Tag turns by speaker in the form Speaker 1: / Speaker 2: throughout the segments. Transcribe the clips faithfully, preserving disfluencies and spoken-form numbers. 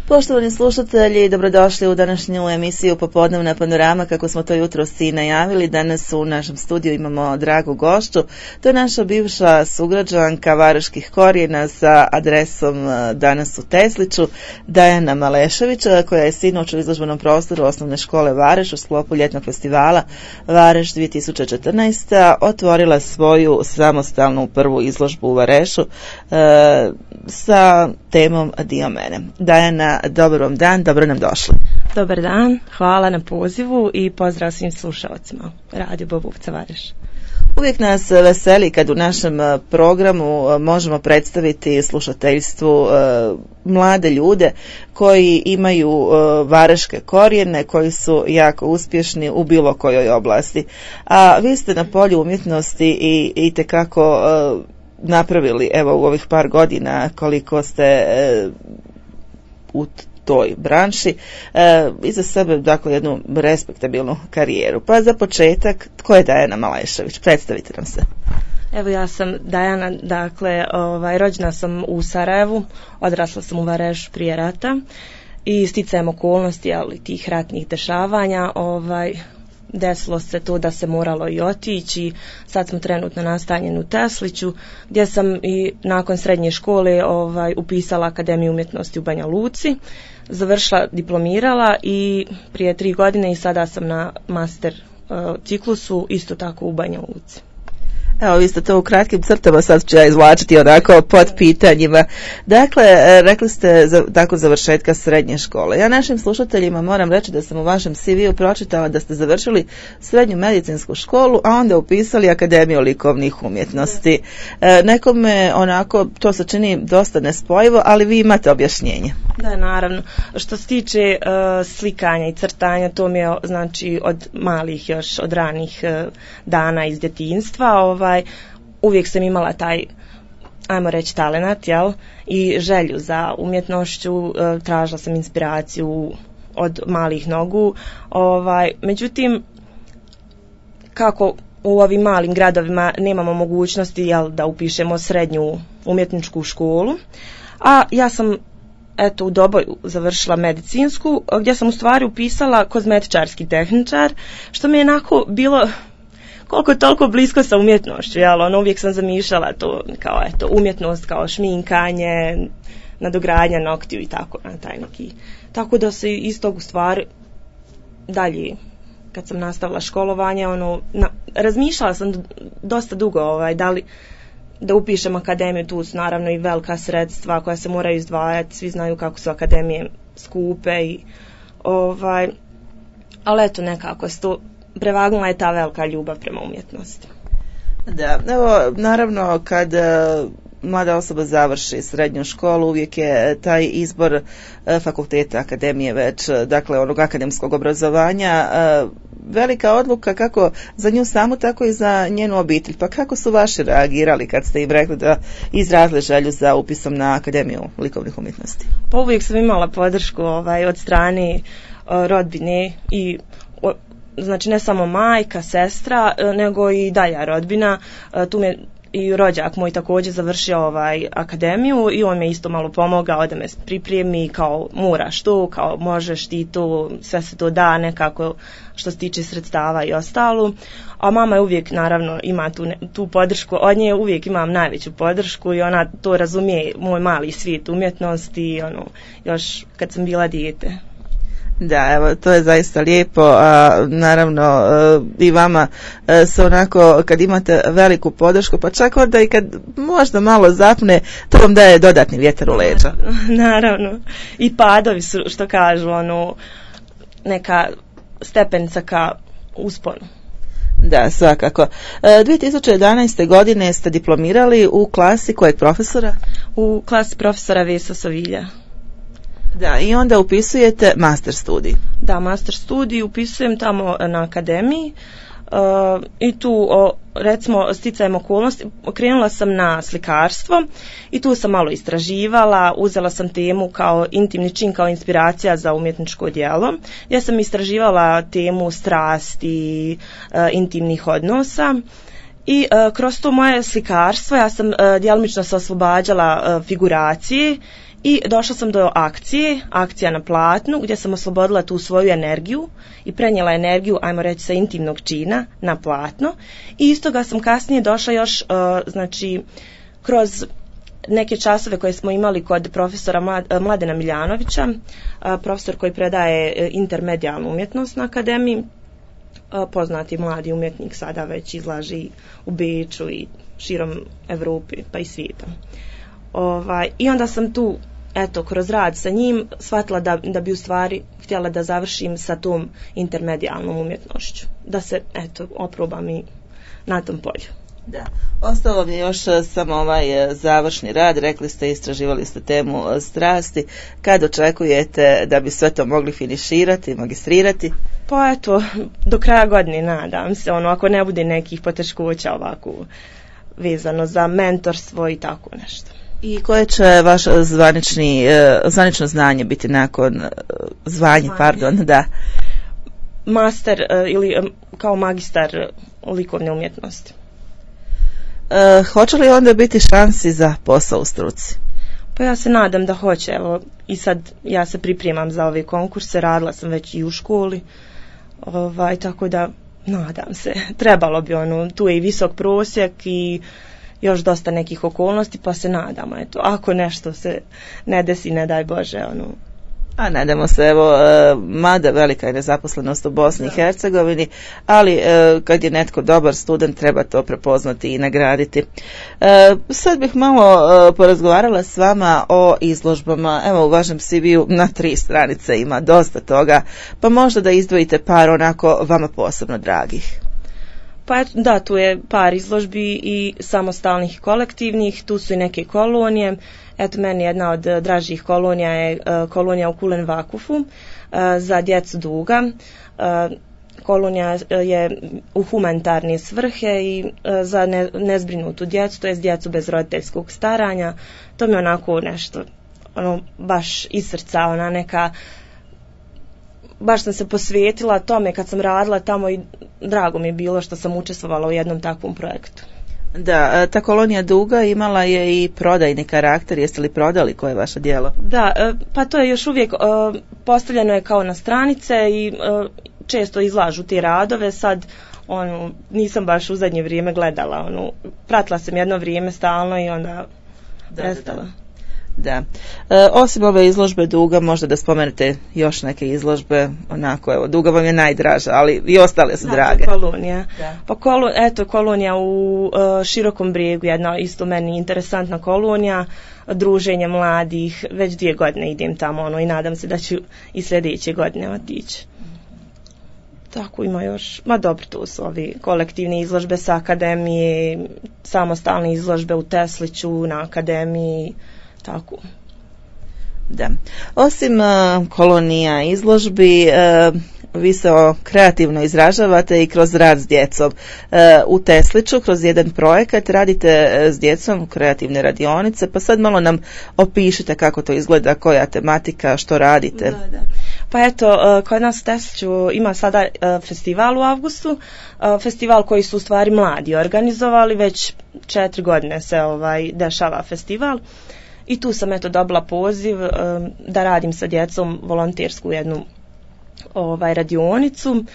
Speaker 1: Poštovani slušatelji, dobrodošli u današnju emisiju Popodnevna panorama. Kako smo to jutros i najavili, danas u našem studiju imamo dragu gošću. To je naša bivša sugrađanka Vareških korijena sa adresom danas u Tesliću, Dajana Malešević, koja je sinoć u izložbenom prostoru Osnovne škole Vareš u sklopu ljetnog festivala Vareš dvije tisuće četrnaeste. otvorila svoju samostalnu prvu izložbu u Varešu e, sa temom Dio mene. Dajana, dobar vam dan, dobro nam došli.
Speaker 2: Dobar dan, hvala na pozivu i pozdrav svim slušalcima Radio Bobovca Vareš.
Speaker 1: Uvijek nas veseli kad u našem programu možemo predstaviti slušateljstvu mlade ljude koji imaju vareške korijene, koji su jako uspješni u bilo kojoj oblasti. A vi ste na polju umjetnosti i itekako napravili, evo u ovih par godina koliko ste u toj branši, e, iza sebe dakle jednu respektabilnu karijeru. Pa za početak, tko je Dajana Malešević? Predstavite nam se.
Speaker 2: Evo, ja sam Dajana, dakle, ovaj, rođena sam u Sarajevu, odrasla sam u Varešu prije rata i sticajem okolnosti, ali tih ratnih dešavanja, ovaj, desilo se to da se moralo i otići. Sad smo trenutno nastanjeni u Tesliću, gdje sam i nakon srednje škole ovaj, upisala Akademiju umjetnosti u Banja Luci, završila, diplomirala i prije tri godine i sada sam na master uh, ciklusu isto tako u Banja Luci.
Speaker 1: Evo, vi ste to u kratkim crtama, sad ću ja izvlačiti onako pod pitanjima. Dakle, rekli ste za, tako završetka srednje škole. Ja našim slušateljima moram reći da sam u vašem C V-u pročitala da ste završili srednju medicinsku školu, a onda upisali Akademiju likovnih umjetnosti. E, nekome onako to se čini dosta nespojivo, ali vi imate objašnjenje.
Speaker 2: Da, naravno. Što se tiče uh, slikanja i crtanja, to mi je znači od malih još, od ranih uh, dana iz djetinjstva. Ovaj, uvijek sam imala taj, ajmo reći, talenat, jel? I želju za umjetnošću, uh, tražila sam inspiraciju od malih nogu. Ovaj, međutim, kako u ovim malim gradovima nemamo mogućnosti, jel, da upišemo srednju umjetničku školu, a ja sam eto u Doboju završila medicinsku, gdje sam u stvari upisala kozmetičarski tehničar, što mi je onako bilo koliko toliko blisko sa umjetnošću, jel, ono, uvijek sam zamišljala to kao eto umjetnost, kao šminkanje, nadogradnja noktiju i tako na taj neki. Tako da se iz tog u stvari dalje, kad sam nastavila školovanje, ono, na, razmišljala sam dosta dugo, ovaj, da li da upišem akademiju, tu su naravno i velika sredstva koja se moraju izdvajati, svi znaju kako su akademije skupe i ovaj, ali eto nekako se to prevagnula je ta velika ljubav prema umjetnosti.
Speaker 1: Da, evo naravno kad mlada osoba završi srednju školu, uvijek je taj izbor fakulteta, akademije već, dakle onog akademskog obrazovanja, velika odluka kako za nju samu, tako i za njenu obitelj. Pa kako su vaši reagirali kad ste im rekli da izrazili želju za upisom na Akademiju likovnih umjetnosti?
Speaker 2: Pa uvijek sam imala podršku ovaj, od strane uh, rodbine i o, znači ne samo majka, sestra, nego i dalja rodbina. Uh, tu me i rođak moj također završio ovaj akademiju i on me isto malo pomogao da me pripremi, kao moraš to, kao možeš ti to, sve se to da nekako što se tiče sredstava i ostalo. A mama je uvijek naravno ima tu, tu podršku, od nje uvijek imam najveću podršku i ona to razumije, moj mali svijet umjetnosti, ono, još kad sam bila dijete.
Speaker 1: Da, evo, to je zaista lijepo, a naravno i vama se onako, kad imate veliku podršku, pa čak onda i kad možda malo zapne, to vam daje dodatni vjetar u leđa.
Speaker 2: Naravno, i padovi su, što kažu, ono, neka stepenica ka usponu.
Speaker 1: Da, svakako. dvije tisuće jedanaeste. godine ste diplomirali u klasi kojeg profesora?
Speaker 2: U klasi profesora Vesa Sovilja.
Speaker 1: Da, i onda upisujete master studij.
Speaker 2: Da, master studij upisujem tamo na akademiji uh, i tu, o, recimo, sticajem okolnosti, krenula sam na slikarstvo i tu sam malo istraživala, uzela sam temu kao intimni čin, kao inspiracija za umjetničko djelo. Ja sam istraživala temu strasti, uh, intimnih odnosa. I uh, kroz to moje slikarstvo ja sam uh, djelomično se oslobađala uh, figuracije I došla sam do akcije, akcija na platnu, gdje sam oslobodila tu svoju energiju i prenijela energiju, ajmo reći, sa intimnog čina na platno. I iz toga sam kasnije došla još, uh, znači, kroz neke časove koje smo imali kod profesora Mladena Miljanovića, uh, profesor koji predaje intermedijalnu umjetnost na akademiji, uh, poznati mladi umjetnik, sada već izlaži u Beču i širom Evrope pa i svijeta. Ovaj, I onda sam tu, eto, kroz rad sa njim shvatila da, da bi u stvari htjela da završim sa tom intermedijalnom umjetnošću. Da se, eto, oprobam i na tom polju.
Speaker 1: Da. Ostalo mi je još samo ovaj završni rad. Rekli ste, istraživali ste temu strasti. Kad očekujete da bi sve to mogli finiširati, magistrirati?
Speaker 2: Pa eto, do kraja godine nadam se, ono, ako ne bude nekih poteškoća ovako vezano za mentorstvo i tako nešto.
Speaker 1: I koje će vaš zvanični, zvanično znanje biti nakon zvanje, zvanje. pardon, da?
Speaker 2: Master ili kao magistar likovne umjetnosti.
Speaker 1: E, hoće li onda biti šansi za posao u struci?
Speaker 2: Pa ja se nadam da hoće. Evo, i sad ja se pripremam za ove konkurse, radila sam već i u školi, ovaj, tako da nadam se. Trebalo bi ono, tu je i visok prosjek i još dosta nekih okolnosti, pa se nadamo, eto, ako nešto se ne desi, ne daj Bože, ono.
Speaker 1: A nadamo se, evo, mada velika je nezaposlenost u Bosni i Hercegovini, ali kad je netko dobar student, treba to prepoznati i nagraditi. Sad bih malo porazgovarala s vama o izložbama. Evo, u vašem C V-u na tri stranice ima dosta toga, pa možda da izdvojite par onako vama posebno dragih.
Speaker 2: Pa da, tu je par izložbi i samostalnih i kolektivnih, tu su i neke kolonije. Eto, meni jedna od dražih kolonija je uh, kolonija u Kulen Vakufu uh, za djecu Duga. Uh, kolonija je u humanitarne svrhe i uh, za ne, nezbrinutu djecu, to je djecu bez roditeljskog staranja. To mi je onako nešto, ono, baš iz srca, ona neka, baš sam se posvetila tome kad sam radila tamo i drago mi je bilo što sam učestvovala u jednom takvom projektu.
Speaker 1: Da, ta kolonija Duga imala je i prodajni karakter. Jeste li prodali koje je vaše djelo?
Speaker 2: Da, pa to je još uvijek postavljeno je kao na stranice i često izlažu te radove. Sad ono, nisam baš u zadnje vrijeme gledala. Ono, pratila sam jedno vrijeme stalno i onda prestala.
Speaker 1: Da. E, osim ove izložbe Duga, možda da spomenete još neke izložbe, onako, evo, Duga vam je najdraža, ali i ostale su da, drage.
Speaker 2: Kolonija. Da. Pa kolo, eto, kolonija u uh, Širokom Brijegu, jedna isto meni interesantna kolonija, druženje mladih, već dvije godine idem tamo, ono, i nadam se da ću i sljedeće godine otići. Tako ima još, ma dobro, tu su ovi kolektivne izložbe sa akademije, samostalne izložbe u Tesliću, na akademiji, tako.
Speaker 1: Da. Osim uh, kolonija izložbi, uh, vi se kreativno izražavate i kroz rad s djecom. Uh, u Tesliću kroz jedan projekat radite s djecom kreativne radionice, pa sad malo nam opišite kako to izgleda, koja tematika, što radite.
Speaker 2: Da, da. Pa eto, kod nas u Tesliću ima sada festival u avgustu, festival koji su u stvari mladi organizovali, već četiri godine se ovaj dešava festival. I tu sam eto dobila poziv um, da radim sa djecom volontersku jednu ovaj radionicu, uh,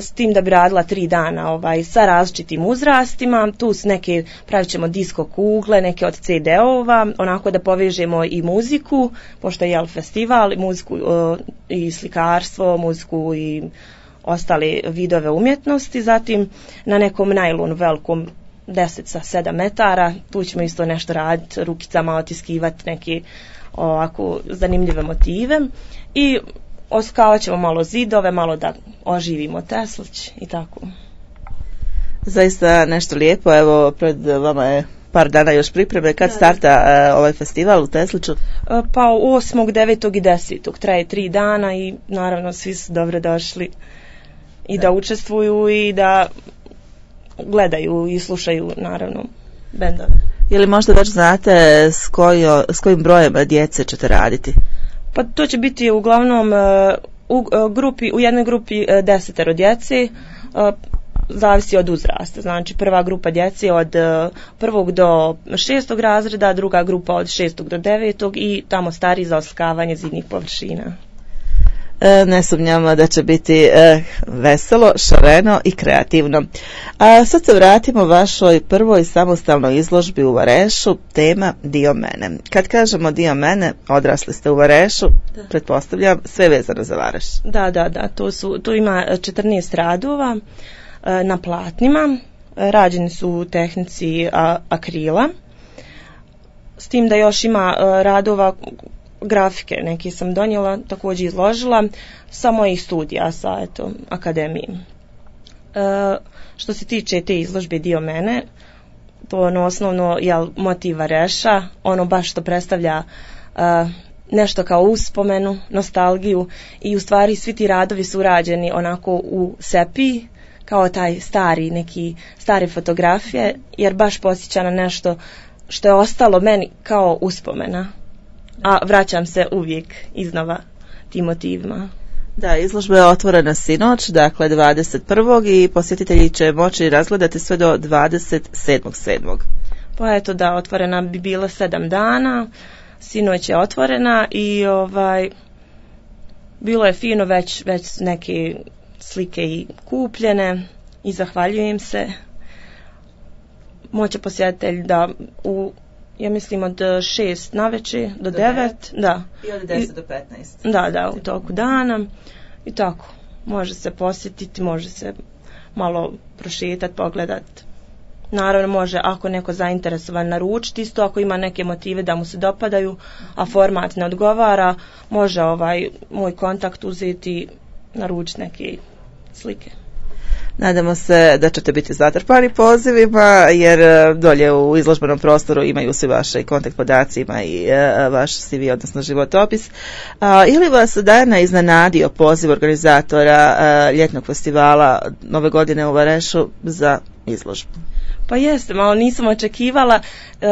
Speaker 2: s tim da bi radila tri dana ovaj sa različitim uzrastima. Tu s neke pravit ćemo disko kugle, neke od ce de-ova, onako da povežemo i muziku, pošto je jel festival, i muziku uh, i slikarstvo, muziku i ostale vidove umjetnosti. Zatim na nekom najlonu velikom deset sa sedam metara, tu ćemo isto nešto raditi, rukicama otiskivati neke ovako zanimljive motive i oskavat ćemo malo zidove, malo da oživimo Teslić i tako.
Speaker 1: Zaista nešto lijepo, evo pred vama je par dana još pripreme. Kad starta uh, ovaj festival u Tesliću? Uh,
Speaker 2: pa osmog, devetog i desetog traje tri dana i naravno svi su dobro došli i da, da učestvuju i da gledaju i slušaju naravno bendove.
Speaker 1: Ili možda već znate s, kojo, s kojim brojem djece ćete raditi?
Speaker 2: Pa to će biti uglavnom u, grupi, u jednoj grupi desetero djece, zavisi od uzrasta. Znači prva grupa djece od prvog do šestog razreda, druga grupa od šestog do devetog i tamo stariji za oslikavanje zidnih površina.
Speaker 1: E, ne sumnjamo da će biti e, veselo, šareno i kreativno. A sad se vratimo vašoj prvoj samostalnoj izložbi u Varešu, tema Dio mene. Kad kažemo Dio mene, odrasli ste u Varešu, da. Pretpostavljam sve vezano za Vareš.
Speaker 2: Da, da, da, to su, tu ima četrnaest radova e, na platnima, rađeni su u tehnici a, akrila, s tim da još ima e, radova grafike, neke sam donijela, također izložila sa mojih studija sa eto, akademiji. E, što se tiče te izložbe Dio mene, to ono osnovno je motiv Vareša, ono baš što predstavlja e, nešto kao uspomenu, nostalgiju i u stvari svi ti radovi su urađeni onako u sepiji, kao taj stari, neki stare fotografije, jer baš podsjeća na nešto što je ostalo meni kao uspomena. A vraćam se uvijek iznova tim motivima.
Speaker 1: Da, izložba je otvorena sinoć, dakle dvadeset prvog i posjetitelji će moći razgledati sve do dvadeset sedmog sedmog
Speaker 2: Pa eto da, otvorena bi bila sedam dana, sinoć je otvorena i ovaj bilo je fino, već, već neke slike i kupljene i zahvaljujem se. Moće posjetitelj da u ja mislim od šest navečer do, do devet, da.
Speaker 1: I od deset do petnaest.
Speaker 2: Da, da, u toku dana. I tako, može se posjetiti, može se malo prošetati, pogledati. Naravno može, ako neko zainteresovan, naručiti isto, ako ima neke motive da mu se dopadaju, a format ne odgovara, može ovaj moj kontakt uzeti, naručiti neke slike.
Speaker 1: Nadamo se da ćete biti zatrpani pozivima, jer dolje u izložbenom prostoru imaju svi vaše kontakt podaci, ima i uh, vaš C V, odnosno životopis. Uh, ili vas Dajana iznenadio poziv organizatora uh, ljetnog festivala Nove godine u Varešu za izložbu?
Speaker 2: Pa jeste, malo nisam očekivala. Uh,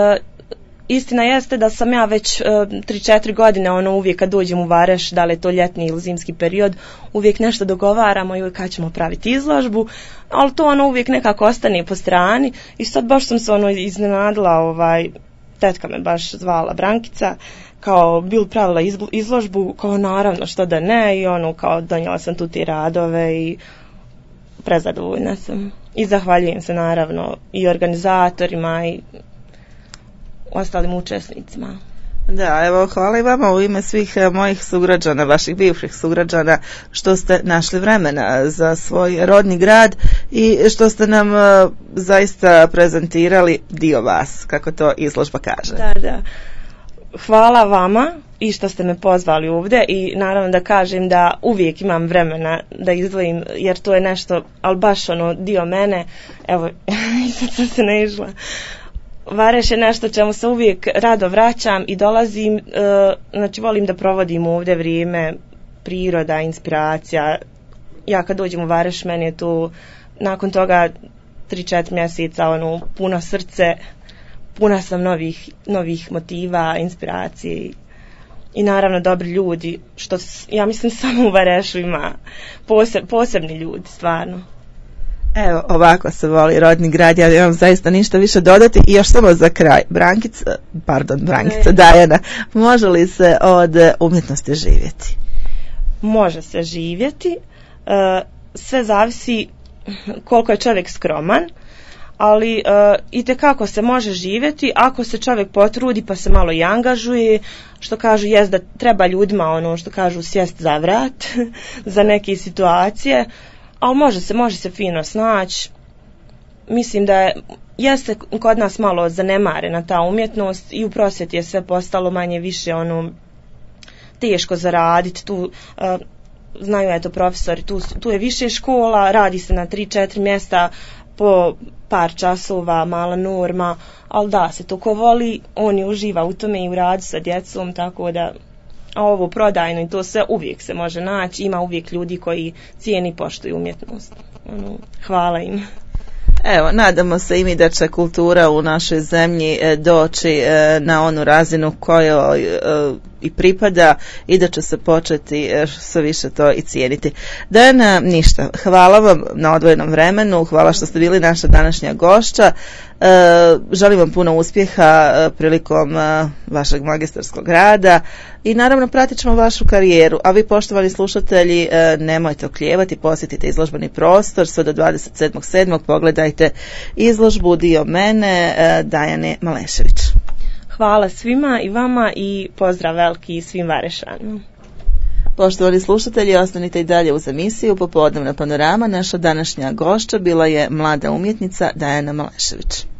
Speaker 2: Istina jeste da sam ja već tri četiri godine ono uvijek kad dođem u Vareš, da li je to ljetni ili zimski period, uvijek nešto dogovaramo i kad ćemo praviti izložbu, ali to ono uvijek nekako ostane po strani i sad baš sam se ono iznenadila, ovaj, tetka me baš zvala Brankica, kao bil pravila izložbu, kao naravno što da ne i ono kao donijela sam tu ti radove i prezadovoljna sam i zahvaljujem se naravno i organizatorima i ostalim učesnicima.
Speaker 1: Da, evo, hvala i vama u ime svih mojih sugrađana, vaših bivših sugrađana, što ste našli vremena za svoj rodni grad i što ste nam uh, zaista prezentirali dio vas, kako to izložba kaže.
Speaker 2: Da, da. Hvala vama i što ste me pozvali ovdje i naravno da kažem da uvijek imam vremena da izdvojim, jer to je nešto, ali baš ono dio mene, evo, sad sam se ne išla. Vareš je nešto čemu se uvijek rado vraćam i dolazim, e, znači volim da provodim ovdje vrijeme, priroda, inspiracija. Ja kad dođem u Vareš, meni je tu nakon toga tri četiri mjeseca ono, puno srce, puna sam novih, novih motiva, inspiracije i, i naravno dobri ljudi, što ja mislim samo u Varešu ima poseb, posebni ljudi, stvarno.
Speaker 1: Evo, ovako se voli rodni grad, ja nemam zaista ništa više dodati i još samo za kraj. Brankica, pardon, Brankica, ne. Dajana, može li se od umjetnosti živjeti?
Speaker 2: Može se živjeti, sve zavisi koliko je čovjek skroman, ali itekako se može živjeti ako se čovjek potrudi pa se malo i angažuje, što kažu jest da treba ljudima ono što kažu sjest za vrat za neke situacije. Ali može se, može se fino snaći. Mislim da je, jeste kod nas malo zanemarena ta umjetnost i u prosvjeti je sve postalo manje više ono teško zaraditi. Tu uh, znaju eto profesori, tu, tu je više škola, radi se na tri četiri mjesta po par časova, mala norma, ali da se to ko voli, on je uživa u tome i u radu sa djecom, tako da a ovo prodajno i to sve uvijek se može naći, ima uvijek ljudi koji cijeni i poštuju umjetnost. Ono, hvala im.
Speaker 1: Evo, nadamo se i mi da će kultura u našoj zemlji doći na onu razinu koju i pripada i da će se početi sve više to i cijeniti. Dajana, ništa, hvala vam na odvojenom vremenu, hvala što ste bili naša današnja gošća. Želim vam puno uspjeha prilikom vašeg magistarskog rada i naravno pratit ćemo vašu karijeru, a vi poštovani slušatelji nemojte oklijevati, posjetite izložbeni prostor sve do dvadeset sedmog sedmog pogledajte izložbu Dio mene Dajane Malešević.
Speaker 2: Hvala svima i vama i pozdrav veliki svim Varešanima.
Speaker 1: Poštovani slušatelji, ostanite i dalje uz emisiju Popodnevna panorama. Naša današnja gošća bila je mlada umjetnica Dajana Malešević.